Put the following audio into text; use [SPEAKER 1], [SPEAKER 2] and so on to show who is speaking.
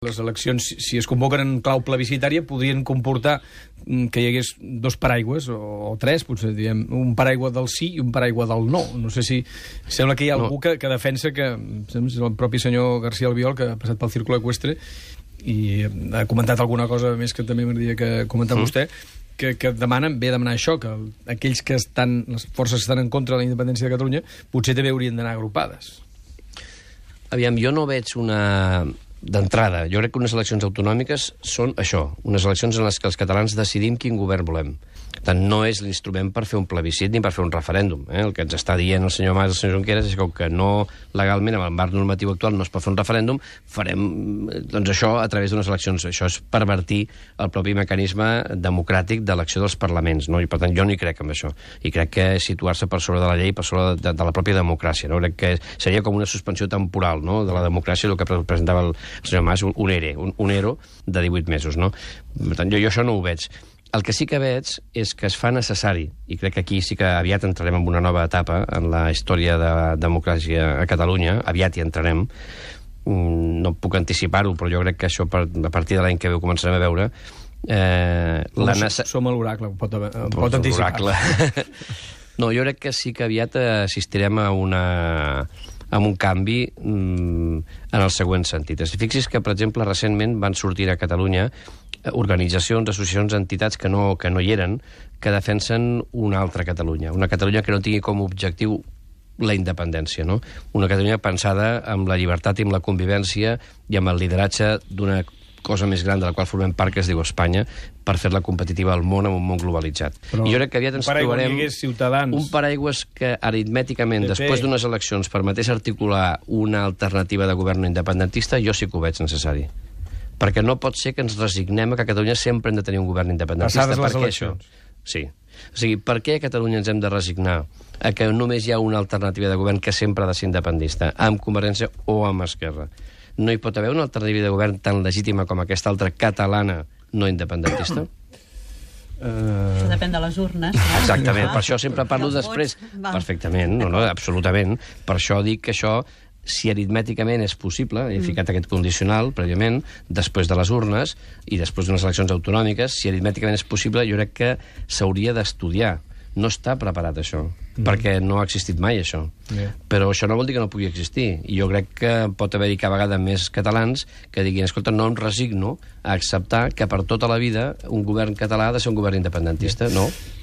[SPEAKER 1] Les eleccions, si es convoquen en clau plebiscitària, podrien comportar que hi hagués dos paraigües, o tres, potser, diguem, un paraigua del sí i un paraigua del no. No sé si... Sembla que hi ha algú que defensa que... És el propi senyor García Albiol, que ha passat pel Círculo Ecuestre, i ha comentat alguna cosa més que també m'agradaria que comentar vostè, que demanen això, que aquells que estan, les forces que estan en contra de la independència de Catalunya, potser també haurien d'anar agrupades.
[SPEAKER 2] Aviam, jo no veig una... D'entrada, jo crec que unes eleccions autonòmiques són això, unes eleccions en les que els catalans decidim quin govern volem. Per tant, no és l'instrument per fer un plebiscit ni per fer un referèndum. El que ens està dient el senyor Mas i el senyor Junqueras és que no legalment, amb el marc normatiu actual, no es pot fer un referèndum, farem doncs això a través d'unes eleccions. Això és pervertir el propi mecanisme democràtic d'elecció dels parlaments, no? I per tant jo no hi crec en això. I crec que situar-se per sobre de la llei, per sobre de la pròpia democràcia, no? Crec que seria com una suspensió temporal, no?, de la democràcia, el que presentava el senyor Mas, un ERE, un ERO de 18 mesos, no? Per tant, jo això no ho veig. El que sí que veig és que es fa necessari, i crec que aquí sí que aviat entrarem en una nova etapa en la història de democràcia a Catalunya, aviat hi entrarem, no puc anticipar-ho, però jo crec que això a partir de l'any que ve ho començarem a veure.
[SPEAKER 1] Som l'oracle, pot anticipar.
[SPEAKER 2] No, jo crec que sí que aviat assistirem a un canvi en el següent sentit. Fixis que, per exemple, recentment van sortir a Catalunya organitzacions, associacions, entitats que no hi eren, que defensen una altra Catalunya. Una Catalunya que no tingui com a objectiu la independència, no? Una Catalunya pensada amb la llibertat i amb la convivència i amb el lideratge d'una cosa més gran de la qual formem part, que es diu Espanya, per fer-la competitiva al món, en un món globalitzat.
[SPEAKER 1] Però
[SPEAKER 2] i jo crec que aviat ens trobarem
[SPEAKER 1] un
[SPEAKER 2] paraigües que aritmèticament, després d'unes eleccions, permetés articular una alternativa de govern independentista, jo sí que ho veig necessari. Perquè no pot ser que ens resignem a que a Catalunya sempre hem de tenir un govern independentista.
[SPEAKER 1] Passades les eleccions.
[SPEAKER 2] Sí. O sigui, per què a Catalunya ens hem de resignar a que només hi ha una alternativa de govern que sempre ha de ser independentista, amb Convergència o amb Esquerra? No hi pot haver una alternativa de govern tan legítima com aquesta altra catalana no independentista?
[SPEAKER 3] Això depèn de les urnes.
[SPEAKER 2] Exactament, per això sempre parlo després. Perfectament, no, absolutament. Per això dic que això, si aritmèticament és possible, he ficat aquest condicional prèviament, després de les urnes i després d'unes eleccions autonòmiques, si aritmèticament és possible, jo crec que s'hauria d'estudiar. No està preparat això, perquè no ha existit mai això. Però això no vol dir que no pugui existir. I jo crec que pot haver-hi cada vegada més catalans que diguin, escolta, no em resigno a acceptar que per tota la vida un govern català ha de ser un govern independentista. No.